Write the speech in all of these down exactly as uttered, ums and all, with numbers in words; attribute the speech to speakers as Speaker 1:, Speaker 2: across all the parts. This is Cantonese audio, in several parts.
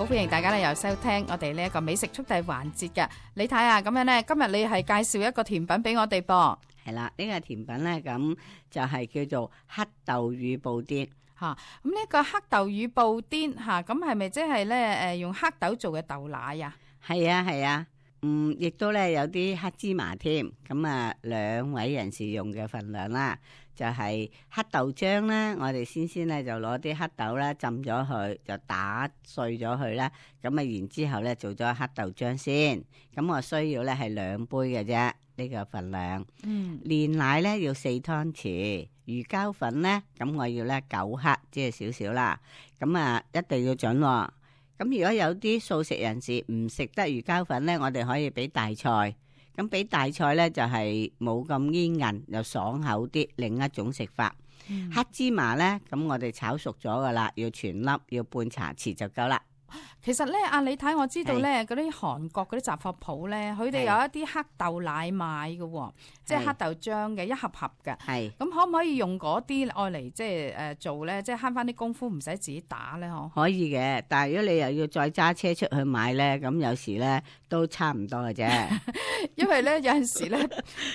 Speaker 1: 歡迎大家咧又收聽我哋呢一個美食速遞環節嘅。你睇下咁樣咧，今日你係介紹一個甜品俾我哋噃。
Speaker 2: 係啦，呢、這個甜品咧咁就係叫做黑豆乳布甸
Speaker 1: 吓。咁呢個黑豆乳布甸吓，咁係咪即係咧誒用黑豆做嘅豆奶啊？
Speaker 2: 係啊係啊，嗯，亦都咧有啲黑芝麻添。咁啊，兩位人士用嘅份量啦，就係、是、黑豆漿啦。我哋先先咧就攞啲黑豆啦浸咗佢，就打碎咗佢啦。咁啊，然之後咧做咗黑豆漿先。咁我需要咧係兩杯嘅啫，呢、這個份量。嗯，煉奶咧要四湯匙，魚膠粉咧咁我要咧九克，即係少少啦。咁啊，一定要準、哦。咁如果有啲素食人士唔食得魚膠粉咧，我哋可以俾大菜。咁俾大菜咧就係冇咁煙韌，又爽口啲，另一種食法。嗯、黑芝麻咧，咁我哋炒熟咗噶啦，要全粒，要半茶匙就夠啦。
Speaker 1: 其實咧，阿李太我知道咧，嗰啲韓國嗰啲雜貨鋪咧，佢哋有一啲黑豆奶賣嘅，即係黑豆漿嘅一盒盒嘅。係咁可唔可以用嗰啲愛嚟即係誒做咧？即係慳翻啲功夫，唔使自己打咧，嗬？可以嘅，但係如果你又要再揸車出去買咧，咁有時咧都差唔多嘅啫。因為咧有陣時咧，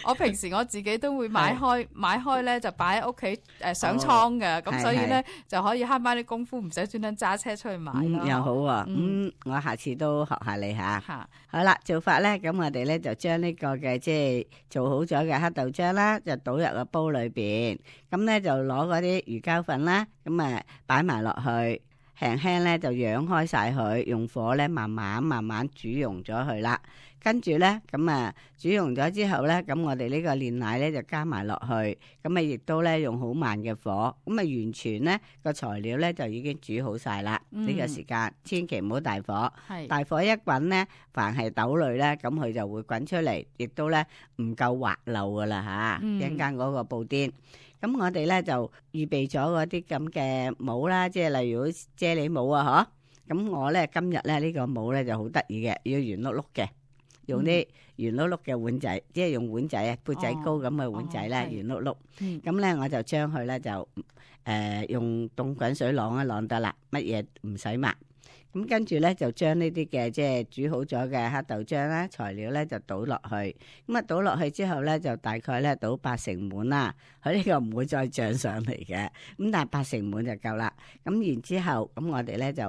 Speaker 1: 我平時我自己都會買開買開咧，就擺喺屋企誒上倉嘅，咁、哦、所以咧就可以慳翻啲功夫，唔使專登揸車出去買咯、嗯。又好啊。咁、嗯、我下次都學下你吓。好啦，做法咧，咁我哋咧就將呢個嘅即係做好咗嘅黑豆漿啦，就倒入個煲裏邊。咁咧就攞嗰啲魚膠粉啦，咁啊擺埋落去，輕輕咧就揚開晒佢，用火咧慢慢慢慢煮溶咗佢啦。跟住咧，咁啊煮溶咗之後咧，咁我哋呢個煉奶咧就加埋落去，咁啊亦都咧用好慢嘅火，咁啊完全咧個材料咧就已經煮好晒啦。呢、嗯、個時間千祈唔好大火，大火一滾咧，凡係豆類咧，咁佢就會滾出嚟，亦都咧唔夠滑溜噶啦吓。一陣間嗰個布甸，咁我哋咧就預備咗嗰啲咁嘅帽啦，即係例如啫喱帽啊，嗬。咁我咧今日咧呢個帽咧就好得意嘅，要圓碌碌嘅。用啲圓碌碌嘅碗仔，即係用碗仔啊，杯仔高咁嘅碗仔咧，圓碌碌。咁咧我就將佢咧就誒、呃、用凍滾水晾一晾得啦，乜嘢唔使抹。咁跟住咧就將呢啲嘅即係煮好咗嘅黑豆漿啦，材料咧就倒落去。咁啊倒落去之後咧就大概咧倒八成滿啦。佢呢個唔會再漲上嚟嘅。咁但係八成滿就夠啦。咁然之後咁我哋咧就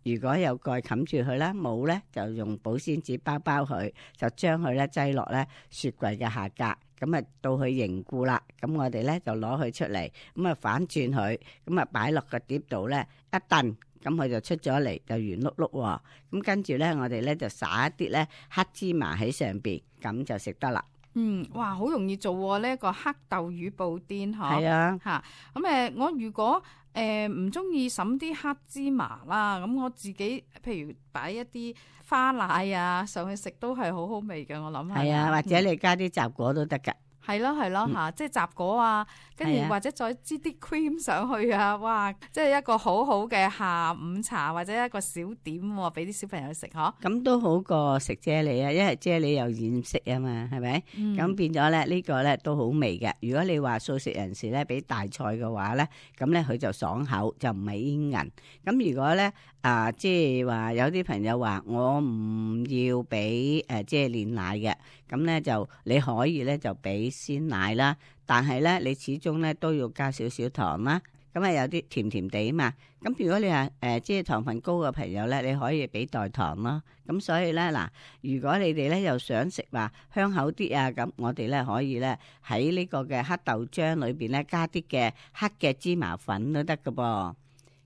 Speaker 1: 如果有蓋冚住佢啦，冇咧就用保鮮紙包包佢，就將佢咧擠落咧雪櫃嘅下格。咁啊到佢凝固啦，咁我哋咧就攞佢出嚟，咁啊反轉佢，咁啊擺落個碟度咧一燉。咁佢就出咗嚟，就圓碌碌喎。咁跟住咧，我哋咧就撒一啲咧黑芝麻喺上邊，咁就食得啦。嗯，哇，好容易做喎！呢一個黑豆乳布甸，嗬。係啊，嚇。咁誒，我如果誒唔中意揼啲黑芝麻啦，咁我自己譬如擺一啲花奶啊上去食，都係好好味嘅。我諗係。係啊，或者你加啲雜果都得㗎。係咯係咯吓，即係雜果啊，跟住或者再擠啲 cream 上去啊，哇！即係一個好好嘅下午茶或者一個小點，俾啲小朋友食嗬。咁都好過食啫喱啊，因為啫喱又染色啊嘛，係咪？咁、嗯、變咗咧呢個咧都好味嘅。如果你話素食人士咧俾大菜嘅話咧，咁咧佢就爽口，就唔係煙韌。咁如果咧啊，即係話有啲朋友話我唔要俾誒即係煉奶嘅，咁咧就你可以咧就俾鮮奶啦，但係咧你始終咧都要加少少糖啦，咁啊有啲甜甜地啊嘛。咁如果你話誒、呃、即係糖分高嘅朋友咧，你可以俾代糖咯。咁所以咧嗱，如果你哋咧又想食話香口啲啊，咁我哋咧可以咧喺呢個嘅黑豆漿裏邊咧加啲嘅黑嘅芝麻粉都得噶噃。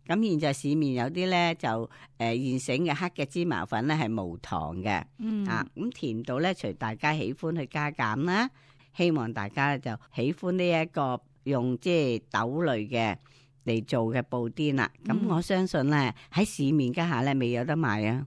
Speaker 1: 咁現在市面有啲咧就誒、呃、現成嘅黑嘅芝麻粉咧係無糖嘅。嗯啊，咁甜度咧隨大家喜歡去加減啦。希望大家就喜歡呢一個用即係豆類嘅嚟做嘅布甸啦。咁、嗯、我相信咧喺市面家下咧未有得賣啊。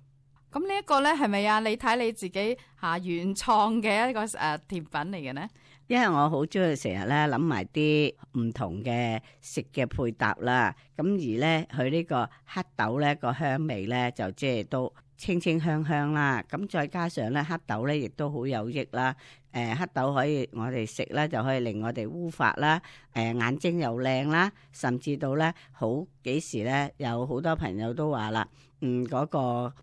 Speaker 1: 咁呢一個咧係咪啊？你睇你自己吓、啊、原創嘅一個誒、呃、甜品嚟嘅呢？因為我好中意成日咧諗埋啲唔同嘅食嘅配搭啦。咁而咧佢呢個黑豆咧個香味咧就即係都
Speaker 2: 清清香香啦。咁再加上咧黑豆咧亦都好有益啦。誒、呃、黑豆可以我哋食咧就可以令我哋烏髮啦，誒、呃、眼睛又靚啦，甚至到咧好幾時咧有好多朋友都話啦，嗯嗰、那個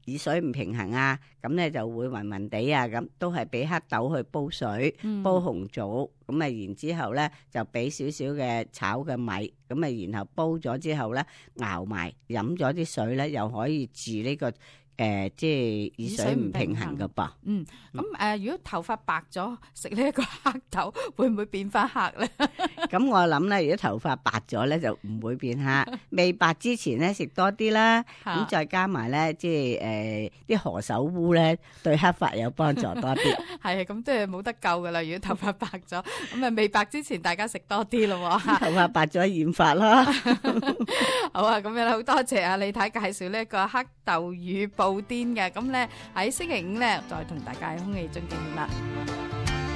Speaker 2: 耳水唔平衡啊，咁咧就會暈暈地啊，咁都係俾黑豆去煲水，
Speaker 1: 嗯、
Speaker 2: 煲紅棗，咁啊然之後咧就俾少少嘅炒嘅米，咁啊然後煲咗之後咧熬埋，飲咗啲水咧又可以治呢、這個。誒、呃，即係耳水唔平衡噶噃。
Speaker 1: 嗯，咁誒、呃，如果頭髮白咗，食呢一個黑豆會唔會變翻黑咧？
Speaker 2: 咁我諗咧，如果頭髮白咗咧，就唔會變黑。未白之前咧，食多啲啦。咁再加埋咧，即係誒啲何首烏咧，對黑髮有幫助多啲。
Speaker 1: 係啊，咁即係冇得救噶啦。如果頭髮白咗，咁啊未白之前，大家食多啲咯。
Speaker 2: 頭髮白咗染髮啦。
Speaker 1: 好啊，咁樣好多謝啊李太介紹呢一個黑豆乳布甸嘅，咁咧喺星期五咧再同大家喺空氣中見面啦。